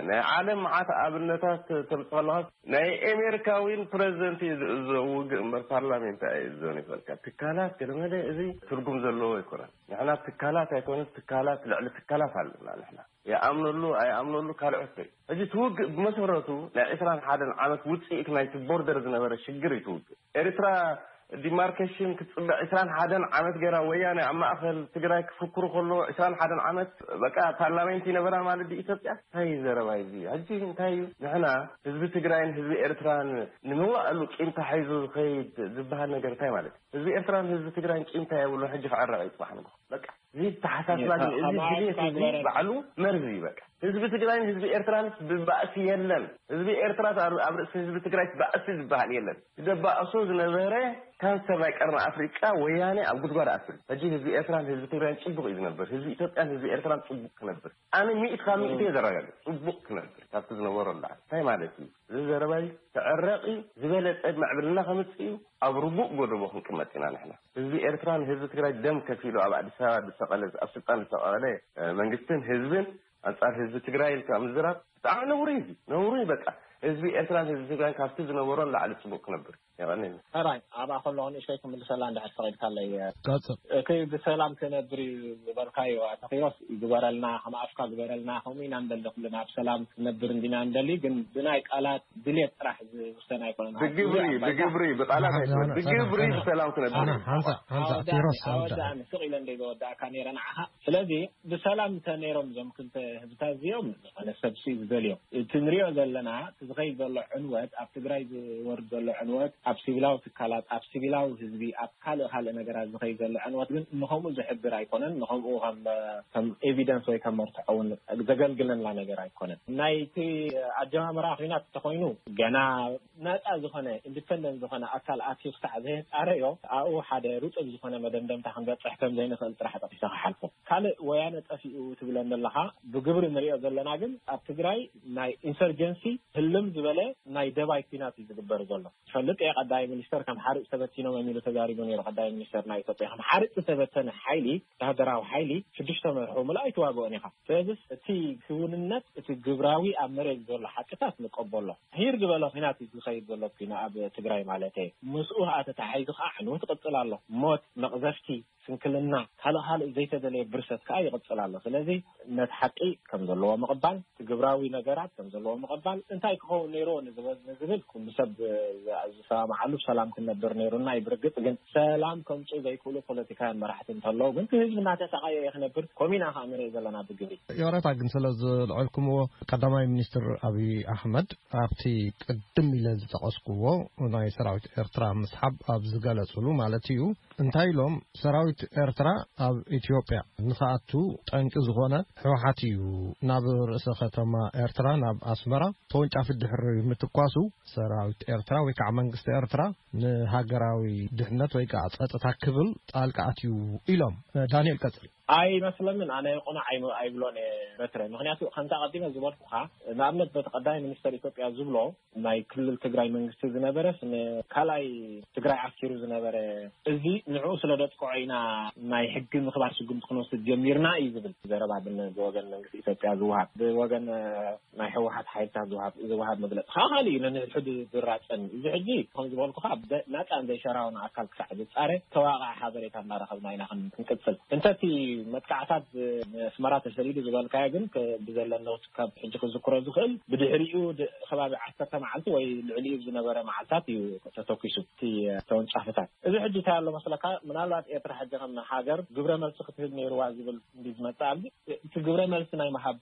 ናይ ዓለም መዓት ኣብነታት ተምጽእ ከለኻ፣ ናይ ኣሜሪካዊን ፕረዚደንት እዩ ዝእዞ ውግእ እምበር ፓርላሜንት ኣይእዞን ይፈልካ። ትካላት ገለመለ፣ እዚ ትርጉም ዘለዎ ኣይኮነን። ንሕና ትካላት ኣይኮነስ፣ ትካላት ልዕሊ ትካላት ኣለና ንሕና። ይኣምነሉ ኣይኣምነሉ ካልኦት ደይ። ሕጂ እቲ ውግእ ብመሰረቱ ናይ ዕስራን ሓደን ዓመት ውጽኢት ናይቲ ቦርደር ዝነበረ ሽግር እዩ እቲ ውግእ። ኤርትራ ዲማርኬሽን ክትጽበ ዕስራን ሓደን ዓመት ገይራ፣ ወያነ ኣብ ማእከል ትግራይ ክፍክሩ ከሎ ዕስራን ሓደን ዓመት በቃ ፓርላሜንት ይነበራ ማለት ድዩ ኢትዮጵያ? እንታይ እዩ ዘረባ እዚ? ሕጂ እንታይ እዩ? ንሕና ህዝቢ ትግራይን ህዝቢ ኤርትራን ንመዋእሉ ቂም ተሓይዙ ዝኸይድ ዝበሃል ነገር እንታይ ማለት እዩ? ህዝቢ ኤርትራን ህዝቢ ትግራይን ቂም እንታይ የብሉን። ሕጂ ክዕረቕ እዩ ጽባሕ ንግሆ። በቃ እዚ ተሓሳስባ ግን፣ እዚ ድሌት እዚ ባዕሉ መርዚ እዩ። በቃ ህዝቢ ትግራይን ህዝቢ ኤርትራንስ ብባእሲ የለን። ህዝቢ ኤርትራ ኣብ፣ ኣብ ርእሲ ህዝቢ ትግራይ ባእሲ ዝበሃል የለን። ደባእሶ ዝነበረ ካንሰር ናይ ቀርኒ ኣፍሪቃ ወያኔ ኣብ ጉድጓድ ኣትሉ። ሕጂ ህዝቢ ኤርትራን ህዝቢ ትግራይን ጽቡቕ እዩ ዝነብር። ህዝቢ ኢትዮጵያን ህዝቢ ኤርትራን ጽቡቕ ክነብር፣ ኣነ ሚእቲ ካብ ሚእቲ እየ ዘረጋግጽ። ጽቡቕ ክነብር ካብቲ ዝነበሮ ኣላ። እንታይ ማለት እዩ? እዚ ዘረባይ ተዕረቒ ዝበለጸ ምዕብልና ከምጽእ እዩ። ኣብ ርጉእ ጎደቦ ክንቅመጥ ኢና ንሕና። ህዝቢ ኤርትራን ህዝቢ ትግራይ ደም ከፊሉ ኣብ ኣዲስ ኣበባ ዝሰቐለ፣ ኣብ ስልጣን ዝሰቐለ፣ እ፣ መንግስትን ህዝብን ኣንጻር ህዝቢ ትግራይ ኢልካ ምዝራብ ብጣዕሚ ነውሪ እዩ። ነውሪ እዩ በቃ። ህዝቢ ኤርትራን ህዝቢ ትግራይን ካብቲ ዝነበሮ ንላዕሊ ጽቡቕ ክነብር። የቐንየለይ። ሕራይ ኣብኣ ከለኹ ንእሽተይ ክምልሰላ እንድሕር ፈቒድካለይ። ቀጽል። እቲ ብሰላም ክነብር እዩ ዝበልካዮ ኣቶ ኪሮስ፣ ግበረልና፣ ከም ኣፍካ ግበረልና። ከምኡ ኢና ንደሊ ኩልና፣ ኣብ ሰላም ክነብር እንዲና ንደሊ፣ ግን ብናይ ቃላት ድሌት ጥራሕ ዝውሰን ኣይኮነን። ብግብሪ፣ ብግብሪ፣ ብቃላት ኣይኮነን። ብግብሪ ብሰላም ክነብር እዩ። ሓንሳ፣ ሓንሳ፣ ኣወዳእኒ፣ ኪሮስ፣ ኣወዳእኒ። ኣወዳእኒ፣ ስቕ ኢለ እንደ ዘወዳእካ ነይረ ንዓኻ። ስለዚ ብሰላም እንተ ነይሮም እዞም ክልተ ህዝብታት እዚኦም፣ ዝኾነ ሰብ ሲ ዝደልዮም። እቲ ንሪኦ ዘለና፣ እቲ ዝኸይድ ዘሎ ዕንወት፣ ኣብ ትግራይ ዝወርድ ዘሎ ዕንወት፣ ኣብ ሲቪላዊ ትካላት፣ ኣብ ሲቪላዊ ህዝቢ፣ ኣብ ካልእ ካልእ ነገራት ዝኸይድ ዘሎ ዕንወት ግን ንኸምኡ ዝሕብር ኣይኮነን። ንኸምኡ ከም፣ ከም ኤቪደንስ ወይ ከም መርትዖ እውን ዘገልግለና ነገር ኣይኮነን። ናይቲ ኣጀማምራ ኲናት እንተኾይኑ፣ ገና ነፃ ዝኾነ፣ ኢንዲፐንደንት ዝኾነ ኣካል ኣትዩ ክሳዕ ዘየፃረዮ፣ ኣብኡ ሓደ ርጡብ ዝኾነ መደምደምታ ክንበፅሕ ከም ዘይንኽእል ጥራሕ ጠቂሰ ክሓልፎ። ካልእ ወያነ ጠፊኡ ትብለን ዘለኻ፣ ብግብሪ ንሪኦ ዘለና ግን ኣብ ትግራይ ናይ ኢንሰርጀንሲ ህልም ዝበለ ናይ ደባይ ኲናት እዩ ዝግበር ዘሎ። ትፈልጥ እየ፣ ቀዳማይ ሚኒስተር ከም ሓርጭ ተበቲኖም እዮም ኢሉ ተዛሪቡ ነይሩ። ቀዳማይ ሚኒስተር ናይ ኢትዮጵያ ከም ሓርጭ ዝተበተነ ሓይሊ፣ ወታደራዊ ሓይሊ፣ ሽዱሽተ መርሑ ምልኣይ ትዋግኦን ኢኻ። ስለዚስ እቲ ክውንነት፣ እቲ ግብራዊ ኣብ መሬት ዘሎ ሓቅታት ንቀበሎ። ሂር ዝበለ ኲናት እዩ ዝኸይድ ዘሎ ኲና ኣብ ትግራይ ማለት እየ። ምስኡ ከዓ ተተሓሒዙ ከዓ ዕንወት ይቕጽል ኣሎ። ሞት፣ መቕዘፍቲ፣ ስንክልና፣ ካልእ ካልእ ዘይተደለየ ብርሰት ከዓ ይቕጽል ኣሎ። ስለዚ ነቲ ሓቂ ከም ዘለዎ ምቕባል፣ እቲ ግብራዊ ነገራት ከም ዘለዎ ምቕባል፣ እንታይ ክኸውን ነይርዎ ንዝበ-፣ ንዝብል ኩሉ ሰብ ዝ-፣ ዝሰማማዓሉ ሰላም ክንነብር ነይሩና እዩ። ብርግጽ ግን ሰላም ከምጽኡ ዘይክእሉ ፖለቲካውያን መራሕቲ እንተለዉ ግን፣ እቲ ህዝቢ እናተሰቃየ እዩ ክነብር። ከምኡ ኢና ከዓ ንርኢ ዘለና ብግብሪ። ይቕረታ ግን ስለ ዘልዐልኩምዎ፣ ቀዳማይ ሚኒስትር ኣብይ ኣሕመድ ኣብቲ ቅድም ኢለ ዝጠቐስኩዎ ናይ ሰራዊት ኤርትራ ምስሓብ ኣብ ዝገለጹሉ ማለት እዩ፣ እንታይ ኢሎም፣ ሰራዊት ኤርትራ ኣብ ኢትዮጵያ ንኽኣቱ ጠንቂ ዝኾነ ህወሓት እዩ። ናብ ርእሰ ከተማ ኤርትራ፣ ናብ ኣስመራ፣ ተወንጫፊ ድሕሪ ምትኳሱ፣ ሰራዊት ኤርትራ ወይ ከዓ መንግስቲ ኤርትራ ንሃገራዊ ድሕነት ወይ ከዓ ጸጥታ ክብል ጣልቃ ኣትዩ ኢሎም። ዳንኤል፣ ቀጽል። ኣይመስለንን። ኣነ ቅኑዕ ኣይም-፣ ኣይብሎን እየ በትረ። ምኽንያቱ ከምታ ቀዲመ ዝበልኩኻ፣ ንኣብነት በቲ ቀዳማይ ሚኒስተር ኢትዮጵያ ዝብሎ፣ ናይ ክልል ትግራይ መንግስቲ ዝነበረስ ንካልኣይ ትግራይ ዓስኪሩ ዝነበረ እዚ ንዕኡ ስለ ደጥቅዖ ኢና ናይ ሕጊ ምኽባር ስጉምቲ ክንወስድ ጀሚርና እዩ ዝብል ዘረባ ብን-፣ ብወገን መንግስቲ ኢትዮጵያ ዝወሃብ፣ ብወገን፣ እ፣ ናይ ህወሓት ሓይልታት ዝወሃብ፣ ዝወሃብ መግለጺ ከዓ ካልእ እዩ። ነንሕድሕዱ ዝራጸን። እዚ ሕጂ ከም ዝበልኩኻ ብዘ-፣ ናጻን ዘይሸራውን ኣካል ክሳዕ ዝጻረ ተዋቃዕ ሓበሬታ እናረኸብና ኢና ክን-፣ ክንቅጽል። እንተቲ መጥቃዕታት ብ-፣ ንኣስመራ ተሰዲዱ ዝበልካዮ ግን ከ-፣ ብዘለኒ ካብ ሕጂ ክዝክሮ ዝኽእል ብድሕሪኡ ድ-፣ ከባቢ ዓሰርተ መዓልቲ ወይ ልዕሊኡ ዝነበረ መዓልታት እዩ ተተኪሱ እቲ ተወንጫፍታት። እዚ ሕጂ እንታይ ኣሎ መስለካ? ምናልባት ኤርትራ ሕጂ ከም ሃገር ግብረ መልሲ ክትህብ ነይርዋ ዝብል እንዲ ዝመጽእ ኣሎ። እቲ ግብረ መልሲ ናይ ምሃብ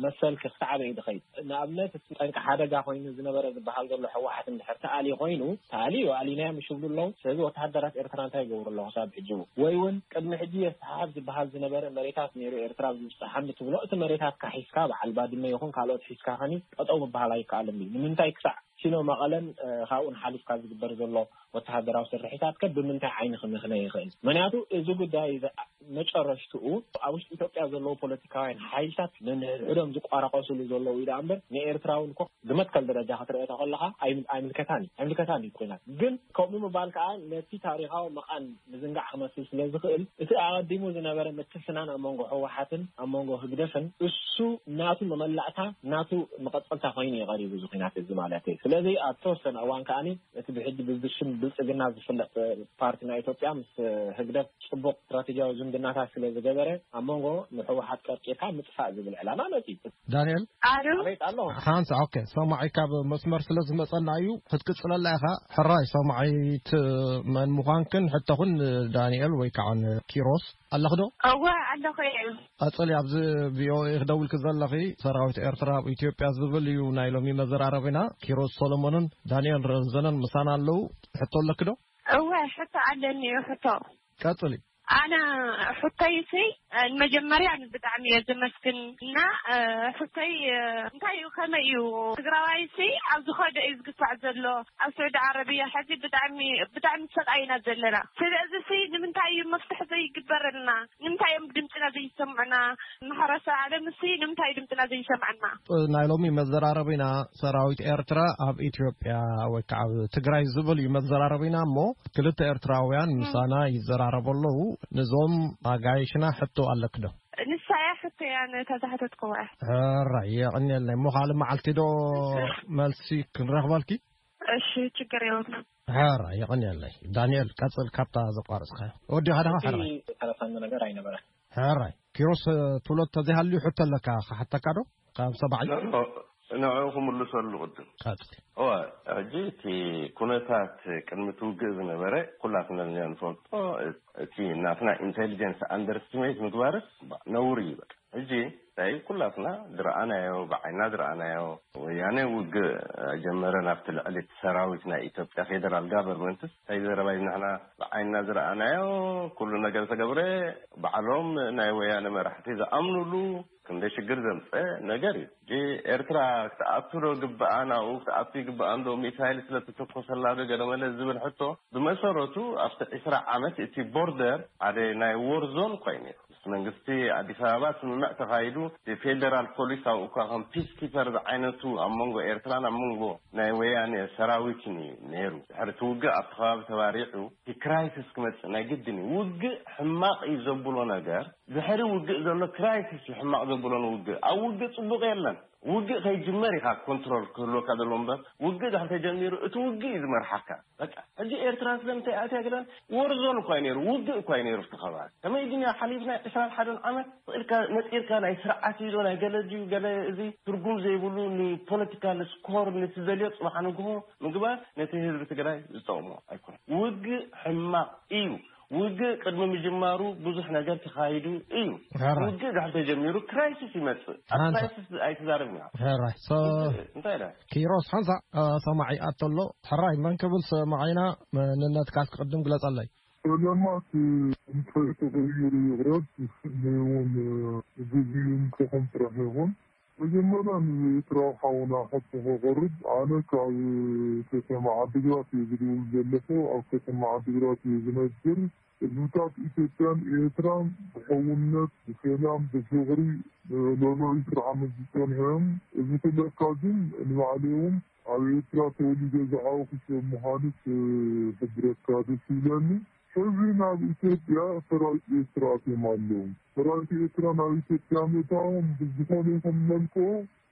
መሰል ክሳዕበ እዩ ዝኸይድ። ንኣብነት እቲ ጠንቂ ሓደጋ ኮይኑ ዝነበረ ዝበሃል ዘሎ ህወሓት እንድሕር ተኣልዩ ኮይኑ፣ ተኣልዩ ኣሊናዮ ምሽ ይብሉ ኣለዉ። ስለዚ ወተሃደራት ኤርትራ እንታይ ይገብሩ ኣለዉ ክሳብ ሕጂ? ወይ እውን ቅድሚ ሕጂ የስተሓሕብ ዝበሃል ዝነበረ መሬታት ነይሩ ኤርትራ ዝብጽሓኒ ትብሎ፣ እቲ መሬታትካ ሒዝካ በዓል ባድመ ይኹን ካልኦት ሒዝካ ከኒ ጠጠው ምበሃል ኣይከኣልን እዩ። ንምንታይ ክሳዕ ሲኖ መቐለን፣ እ፣ ካብኡን ሓሊፍካ ዝግበር ዘሎ ወተሃደራዊ ስርሒታት ከ ብምንታይ ዓይኒ ክምኽነ ይኽእል? ምኽንያቱ እዚ ጉዳይ እዚ መጨረሽትኡ ኣብ ውሽጢ ኢትዮጵያ ዘለዉ ፖለቲካውያን ሓይልታት ነንሕድሕዶም ዝቋራቆስሉ ዘለዉ እዩ ደኣ እምበር ንኤርትራውን እኮ ብመትከል ደረጃ ክትርእዮ ተኸለኻ ኣይም-፣ ኣይምልከታን እዩ፣ ኣይምልከታን እዩ ኩናት። ግን ከምኡ ምባል ከዓ ነቲ ታሪኻዊ መቓን ምዝንጋዕ ክመስል ስለ ዝኽእል እቲ ኣቐዲሙ ዝነበረ ምትፍናን ኣብ መንጎ ህወሓትን ኣብ መንጎ ህግደፍን እሱ ናቱ መመላእታ ናቱ መቐጸልታ ኮይኑ እዩ ቀሪቡ እዚ ኩናት እዚ ማለት እዩ። ስለዚ ኣብ ተወሰነ እዋን ከዓኒ እቲ ብሕጂ ብሽም ብልጽግና ዝፍለጥ ፓርቲ ናይ ኢትዮጵያ ምስ ህግደፍ ጽቡቕ ስትራቴጂያዊ ዝምድናታት ስለ ዝገበረ ኣብ መንጎ ንህወሓት ቀርቂርካ ምጥፋእ ዝብል ዕላማ መጺኡ። ዳንኤል? ኣሉ? ኣቤት ኣሎ። ሓንሳ፣ ኦኬ፣ ሰማዒ ካብ መስመር ስለ ዝመጸና እዩ ክትቅጽለላ ኢኻ። ሕራይ ሰማዒት መን ምዃንክን ሕቶኽን ዳንኤል ወይ ከዓ ኪሮስ ኣለኽ ዶ? እወ ኣለኹ እየ። ቀጽሊ፣ ኣብዚ ቪኦኤ ክደውልኪ ዘለኺ ሰራዊት ኤርትራ ኣብ ኢትዮጵያ ዝብል እዩ ናይ ሎሚ መዘራረቢና። ኪሮስ ሶሎሞንን ዳንኤል ረዘነን ምሳና ኣለዉ። ሕቶ ኣለኪ ዶ? እወ ሕቶ ኣለኒ እዩ ሕቶ። ቀጽሊ። ኣነ ሕቶይሲ ንመጀመርያ ብጣዕሚ እየ ዘመስግን እና ሕቶይ እንታይ እዩ ከመይ እዩ ትግራዋይሲ ኣብ ዝኸደ እዩ ዝግፋዕ ዘሎ ኣብ ስዑዲ ዓረብያ ሕዚ ብጣዕሚ ብጣዕሚ ሰቃይና ዘለና ስለዚ ሲ ንምንታይ እዩ መፍትሒ ዘይግበረልና ንምንታይ እዮም ድምፅና ዘይሰምዑና ማሕበረሰብ ዓለም ሲ ንምንታይ ድምፅና ዘይሰምዐና ናይ ሎሚ መዘራረቢና ሰራዊት ኤርትራ ኣብ ኢትዮጵያ ወይ ከዓ ኣብ ትግራይ ዝብል እዩ መዘራረቢና እሞ ክልተ ኤርትራውያን ምሳና ይዘራረቡ ኣለዉ። ንዞም ኣጋይሽና ሕቶ ኣለክ ዶ? ንሳ እያ ሕቶ እያ ነታ ዝሓተትክዋ። ሕራይ የቐንየልና እሞ ካልእ መዓልቲ ዶ መልሲ ክንረኽበልኪ? እሺ ችግር የብሉ። ሕራይ የቐንየለይ። ዳንኤል ቀጽል ካብታ ዘቋረጽካዮ። ወዲ ሓደ እቲ ሕራይ። ተረፋኒ ነገር ኣይነበረን። ሕራይ ኪሮስ ትብሎ ተዘይሃልዩ ሕቶ ኣለካ ክሓተካ ዶ? ካብ ሰባዒ ንዑ ክምልሰሉ ቅድም ቀጽል እዋ ሕጂ እቲ ኩነታት ቅድሚ ትውግእ ዝነበረ ኩላትና ንፈልጦ እቲ ናትና ኢንቴሊጀንስ ኣንደርስትሜት ምግባርስ ነውር እዩ በቃ ሕጂ እንታይ ኩላትና ዝረኣናዮ ብዓይና ዝረኣናዮ ወያነ ውግእ ጀመረ ናብቲ ልዕሊ እቲ ሰራዊት ናይ ኢትዮጵያ ፌደራል ጋቨርንመንትስ እንታይ ዘረባ እዩ ንሕና ብዓይና ዝረኣናዮ ኩሉ ነገር ተገብረ ባዕሎም ናይ ወያነ መራሕቲ ዝኣምኑሉ ክንደይ ሽግር ዘምፀ ነገር እዩ። ሕጂ ኤርትራ ክትኣቱ ዶ ግብኣ ናብኡ ክትኣቱ ይግብኣ እንዶ ሚሳይል ስለተተኮሰላ ዶ ገለመለ ዝብል ሕቶ ብመሰረቱ ኣብቲ ዕስራ ዓመት እቲ ቦርደር ሓደ ናይ ዎር ዞን ኮይኑ እዩ። ምስ መንግስቲ ኣዲስ ኣበባ ስምምዕ ተኻይዱ እቲ ፌደራል ፖሊስ ኣብኡ እኳ ከም ፒስ ኪፐር ዝዓይነቱ ኣብ መንጎ ኤርትራን ኣብ መንጎ ናይ ወያኔ ሰራዊትን እዩ ነይሩ። ድሕሪ እቲ ውግእ ኣብቲ ከባቢ ተባሪዑ እቲ ክራይሲስ ክመፅእ ናይ ግድን እዩ። ውግእ ሕማቕ እዩ ዘብሎ ነገር ድሕሪ ውግእ ዘሎ ክራይሲስ እዩ ሕማቕ ዘብሎ ንውግእ። ኣብ ውግእ ፅቡቕ የለን። ውግእ ከይጅመር ኢኻ ኮንትሮል ክህልወካ ዘለዎ እምበር ውግእ ድሕሪ ተጀሚሩ እቲ ውግእ እዩ ዝመርሓካ። በቃ ሕጂ ኤርትራ ስለምንታይ ኣትያ ገለን ወርዞን እኳ ነይሩ ውግእ እኳ ነይሩ እቲ ከባቢ ከመይ ግን ሓሊፍና ዕስራን ሓደን ዓመት ኢልካ ነፂርካ ናይ ስርዓት እዩ ዶ ናይ ገለ ድዩ ገለ እዚ ትርጉም ዘይብሉ ንፖለቲካል ስኮር ንትደልዮ ፅባሕ ንግሆ ምግባር ነቲ ህዝቢ ትግራይ ዝጠቕሞ ኣይኮነ። ውግእ ሕማቕ እዩ። ውግእ ቅድሚ ምጅማሩ ብዙሕ ነገር ተኻይዱ እዩ። ሕራይ። ውግእ ድሕር ተጀሚሩ ክራይሲስ ይመፅእ። ኣብ ሓንሳ- ክራይሲስ ኣይትዛረብ ኢና። ሕራይ። ሶ- ውግእ እንታይ ኢለ? ኪሮስ ሓንሳ እ፣ ሰማዒ ኣቶ ኣሎ። ሕራይ መን ክብል ሰማዒና መንነትካ ክቅድም ግለጸለይ። ሰለማት እንታይ ተቐይሩ ይቕረብ ንስኒ እውን ግዜኡ እንተኹም ጥራሕ ይኹን መጀመርያ ንኤርትራዊ ሓውና ሕቶ ከቕርብ ኣነ ካብ ከተማ ዓዲግራት እየ ዝድውል ዘለኹ ኣብ ከተማ ዓዲግራት እየ ዝነብር ህዝብታት ኢትዮጵያን ኤርትራን ብሕውነት ብሰላም ብፍቕሪ ለሎዩ ስርዓመት ዝጸንሑ እዮም እዚ ክብለካ ግን ንባዕለይ እውን ኣብ ኤርትራ ተወሊደ ዝዓበኹ ሰብ ምዃኑ ክሕብረካ ደስ ይብለኒ እዚ ናብ ኢትዮጵያ ሰራዊት ኤርትራ ኣትዮም ኣለዉ። ሰራዊት ኤርትራ ናብ ኢትዮጵያ ምእታዎም ብዝኾነ ይኹን መልክዑ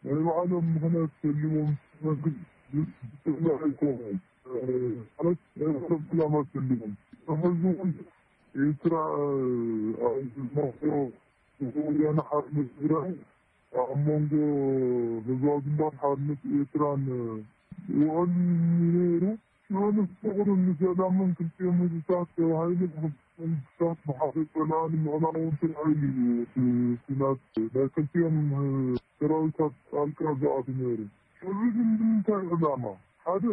ናይ ባዕሎም ምኽንያት ሰሊዎም መንግስቲ ዝጥዕና ኣይኮኑን። ማለት ናይ ባዕሎም ዕላማ ሰሊዎም። ሕዚ እውን ኤርትራ ኣብ ዝመኽሮ ወያነ ሓርነት ትግራይ ኣብ መንጎ ህዝባዊ ግንባር ሓርነት ኤርትራን ውዕል ነይሩ። ሽዑ ንፍቕርን ንሰላምን ክልቲኦም ህዝብታት ተባሂሉ ብክልቲኦም መንግስታት ብሓደ ጸላኢ ንምዕላውን ተባሂሉ እዩ እቲ ኩናት ናይ ክልቲኦም ሰራዊታት ጣልቃ ዝኣቱ ነይሩ። ሕዚ ግን ብምንታይ ዕላማ? ሓደ፣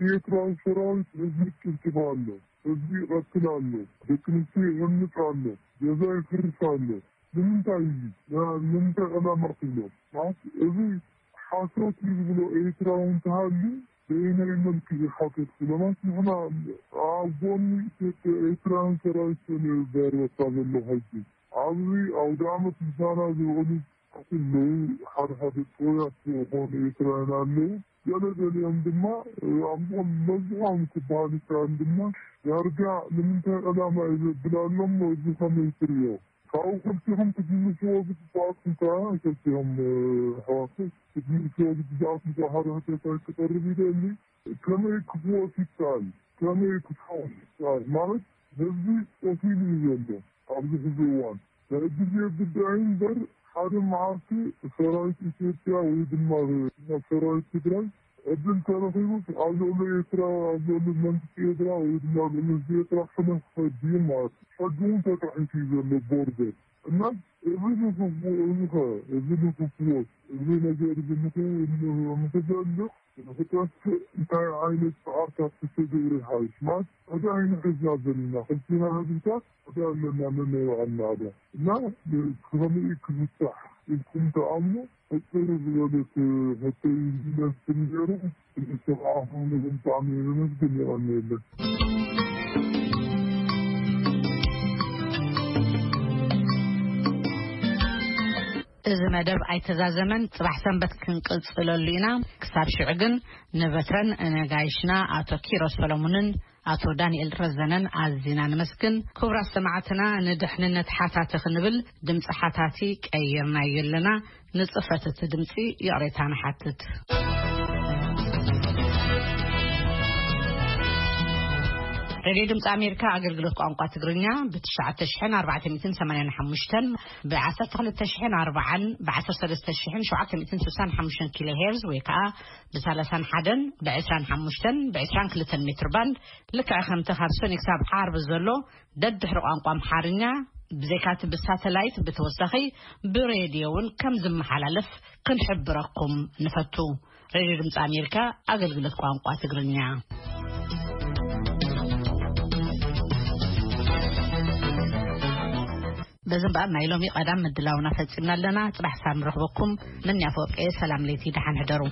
ኤርትራዊ ሰራዊት ህዝቢ ይጭፍጭፍ ኣሎ፣ ህዝቢ ይቐትል ኣሎ፣ ደቂ ኣንስትዮ ይዕምጽ ኣሎ፣ ገዛ ይፍርስ ኣሎ። ንምንታይ እዩ? ና-፣ ንምንታይ ዕላማ ትብሎ? ማለት እዚ ሓሶት እዩ ዝብሎ ኤርትራዊ እንተሃልዩ በየናይ መልክዕ እዩ ሓሶት ዝብሎ? ማለት ንሕና ኣብ ጎኒ ኢትዮጵያ ኤርትራውያን ሰራዊት ስለ ዘርበካ ዘሎ ሕጂ ኣብዚ ኣውደ ዓመት ምሳና ዝውዕሉ ኣለዉ። ሓደ ሓደ ጥሩያት ዝኾኑ ኤርትራውያን ኣለዉ። ገለ ገሊኦም ድማ ኣብ ጎኒ መብዝሖም ክበሃል ይከኣል ድማ ዳርጋ ንምንታይ ዕላማ እዩ ዘብል ኣሎ እሞ እዚ ከመይ ትርእዮ? ካብኡ ክልቲኹም ክትምልስዎ ዝግባኣኩም ከኣ፣ ክልቲኹም፣ እ፣ ኣሕዋት ክትምልስዎ ዝግባኣኩም ከኣ ሓደ ሕቶታት ክቐርብ ይደሊ። ከመይ ክፍወስ ይከኣል? ከመይ ክፍወስ ይከኣል? ማለት ህዝቢ ቆሲሉ እዩ ዘሎ ኣብዚ ሕዚ እዋን። ናይ ግዜ ጉዳይ እምበር ሓደ መዓልቲ ሰራዊት ኢትዮጵያ ወይ ድማ ሰራዊት ትግራይ ዕድል ተረኺቡስ ኣብ ልዕሊ ኤርትራ፣ ኣብ ልዕሊ መንግስቲ ኤርትራ ወይ ድማ ኣብ ልዕሊ ህዝቢ ኤርትራ ሕነ ክኸድ ድዩ ማለት እዩ። ሕጂ እውን ተጣሒሱ እዩ ዘሎ ቦርደር። እና እዚ ንክፍ-፣ እዚ ኸ፣ እዚ ንክፍወስ፣ እዚ ነገር እዚ ንክ-፣ ንክዘልቕ፣ ንክጠፍእ እንታይ ዓይነት ጻዕርታት ክተገብር ይሓይሽ? ማለት እንታይ ኢና ሒዝና ዘለና? ክልቲና ህዝብታት ሓደ ኣለና፣ ነናይ ባዕልና ኣዳ። እና ከመይ ክፍታሕ ኢልኩም ትኣምኑ? ሕጽር ዝበለት ሕቶ እዩ ዝመስል ነይሩ። ንሰማዕኹም ብጣዕሚ የመስግን። የቐንየለን። እዚ መደብ ኣይተዛዘመን፣ ጽባሕ ሰንበት ክንቅጽለሉ ኢና። ክሳብ ሽዑ ግን ንበትረን ነጋይሽና ኣቶ ኪሮስ ሰሎሙንን ኣቶ ዳንኤል ረዘነን ኣዚና ነመስግን። ክቡራት ሰማዕትና፣ ንድሕንነት ሓታቲ ክንብል ድምጺ ሓታቲ ቀይርናዮ ኣለና። ንጽፈት እቲ ድምጺ ይቕሬታ ንሓትት። ሬድዮ ድምፂ ኣሜሪካ ኣገልግሎት ቋንቋ ትግርኛ ብ ትሽዓተ ሽሕን ኣርባዕተ ሚእትን ሰማንያን ሓሙሽተን፣ ብ ዓሰርተ ክልተ ሽሕን ኣርባዓን፣ ብ ዓሰርተ ሰለስተ ሽሕን ሸውዓተ ሚእትን ስሳን ሓሙሽተን ኪሎ ሄርዝ ወይ ከዓ ብ ሰላሳን ሓደን፣ ብ ዕስራን ሓሙሽተን፣ ብ ዕስራን ክልተን ሜትር ባንድ፣ ልክዕ ከምቲ ካብ ሰኒ ክሳብ ዓርቢ ዘሎ ደድሕሪ ቋንቋ ኣምሓርኛ፣ ብዘይካቲ ብሳተላይት ብተወሳኺ ብሬድዮ እውን ከም ዝመሓላለፍ ክንሕብረኩም ንፈቱ። ሬድዮ ድምፂ ኣሜሪካ ኣገልግሎት ቋንቋ ትግርኛ። በዚ እምበኣር ናይ ሎሚ ቀዳም ምድላውና ፈጺምና ኣለና። ጽባሕ ሳብ ንረኽበኩም። ምንያ ፎቄ፣ ሰላም ለይቲ፣ ደሓን ሕደሩ።